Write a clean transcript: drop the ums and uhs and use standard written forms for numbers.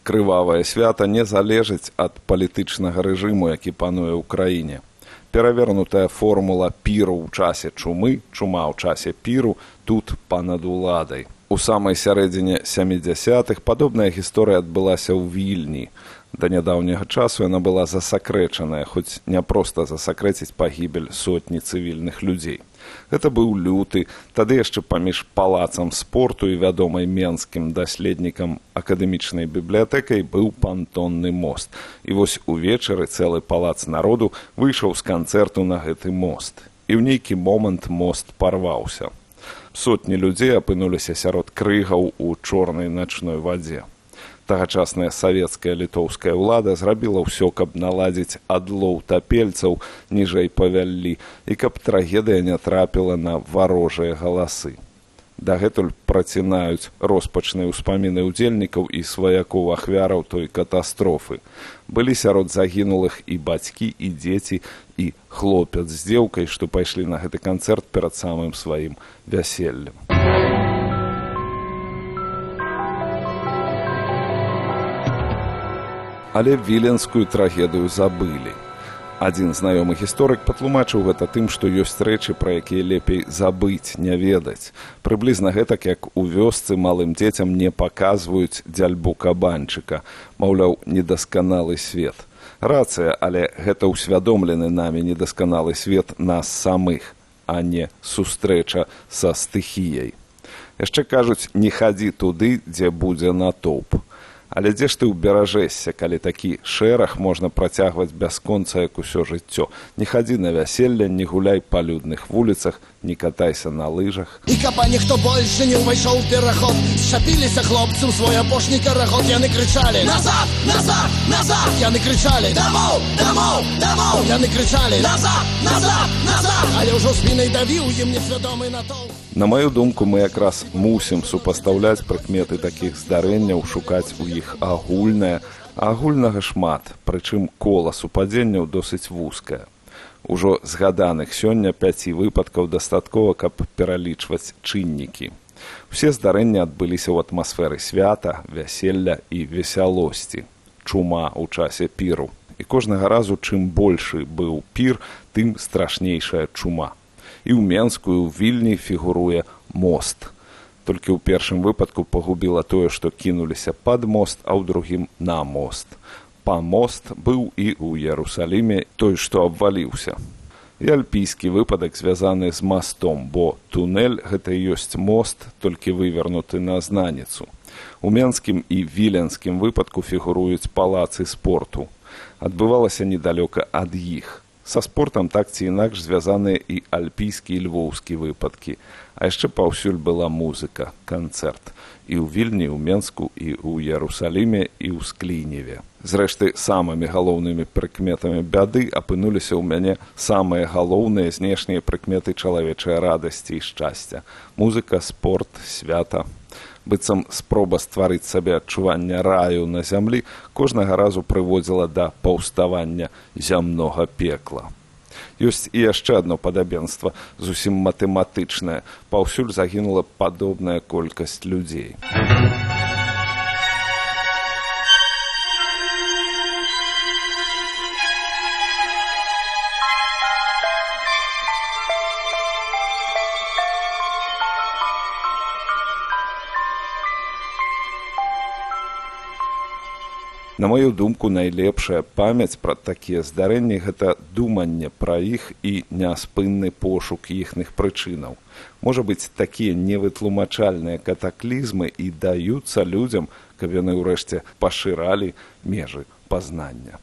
Крывавае свята не залежыць ад палітычнага рэжыму, які пануе ў краіне. Перавернутая формула піру ў часе чумы, чума ў часе піру тут панад уладай. У самай сярэдзіне 70-х падобная гісторыя адбылася ў Вільні. Да нядаўняга часу яна была засакрэчаная, хоць не проста засакрэціць пагібель сотні цывільных людзей. Гэта быў люты, тады яшчэ паміж палацам спорту і вядомай менскім даследнікам акадэмічнай бібліятэкай быў пантонны мост. І вось увечары цэлы палац народу выйшаў з канцэрту на гэты мост. І ў нейкі момант мост парваўся. Сотні людзей апынуліся сярод крыгаў у чорнай начной вадзе. Тагачасная савецкая літоўская ўлада зрабіла ўсё, каб наладзіць адлоў тапельцаў ніжэй па Вяллі і каб трагедыя не трапіла на варожыя галасы. Дагэтуль працінаюць роспачныя ўспаміны ўдзельнікаў і сваякоў ахвяраў той катастрофы. Былі сярод загінулых і бацькі, і дзеці, і хлопец з дзеўкай, што пайшлі на гэты канцэрт перад самым сваім вяселлем. Але віленскую трагедыю забылі. Адзін знаёмы гісторык патлумачыў гэта тым, што ёсць рэчы, пра якія лепей забыць, не ведаць. Прыблізна гэтак, як у вёсцы малым дзецям не паказваюць дзяльбу кабанчыка, маўляў, недасканалы свет. Рацыя, але гэта ўсвядомлены намі недасканалы свет нас самых, а не сустрэча са стыхіяй. Яшчэ кажуць, не хадзі туды, дзе будзе натоўп. Але дзе ж ты ўберажэшся, калі такі шэраг можна працягваць бясконца, як усё жыццё? Не хадзі на вяселле, не гуляй па людных вуліцах, не катайся на лыжах. І каб ніхто больше не ўвайшоў у пераход, зчапіліся хлопцы ў свой апошні карагод. Яны крычалі: назад, назад, назад! Яны крычалі: дамоў, дамоў, дамоў! Яны крычалі: назад, назад, назад! Але ўжо спінай давіў ім несвядомы натоўп. На маю думку, мы якраз мусім супастаўляць прыкметы такіх здарэнняў, шукаць у іх агульнае, а агульнага шмат, прычым кола супадзенняў досыць вузкае. Ужо згаданых сёння 5 выпадкаў дастаткова, каб пералічваць чыннікі. Усе здарэнні адбыліся ў атмасферы свята, вяселля і весялосці. Чума ў часе піру. І кожнага разу, чым большы быў пір, тым страшнейшая чума. І ў Менску, і ў Вільні фігуруе мост. Толькі ў першым выпадку пагубіла тое, што кінуліся пад мост, а ў другім на мост. Па мост быў і ў Ярусаліме той, што абваліўся. І альпійскі выпадак звязаны з мастом, бо тунэль гэта і ёсць мост, толькі вывернуты на знаніцу. У менскім і віленскім выпадку фігуруюць палацы спорту. Адбывалася недалёка ад іх. Са спортам так ці інакш звязаныя і альпійскі і львоўскі выпадкі. А яшчэ паўсюль была музыка, канцэрт. І ў Вільні, і ў Менску, і ў Ярусаліме, і ў Скліневе. Зрэшты, самымі галоўнымі прыкметамі бяды апынуліся ў мяне самыя галоўныя знешнія прыкметы чалавечай радасці і шчасця. Музыка, спорт, свята. Быццам спроба стварыць сабе адчуванне раю на зямлі кожнага разу прыводзіла да паўставання зямнога пекла. Ёсць і яшчэ адно падабенства, зусім матэматычнае. Паўсюль загінула падобная колькасць людзей. На маю думку, найлепшая памяць пра такія здарэнні – гэта думанне пра іх і няспынны пошук іхных прычынаў. Можа быць, такія невытлумачальныя катаклізмы і даюцца людзям, каб яны ўрэшце пашыралі межы пазнання.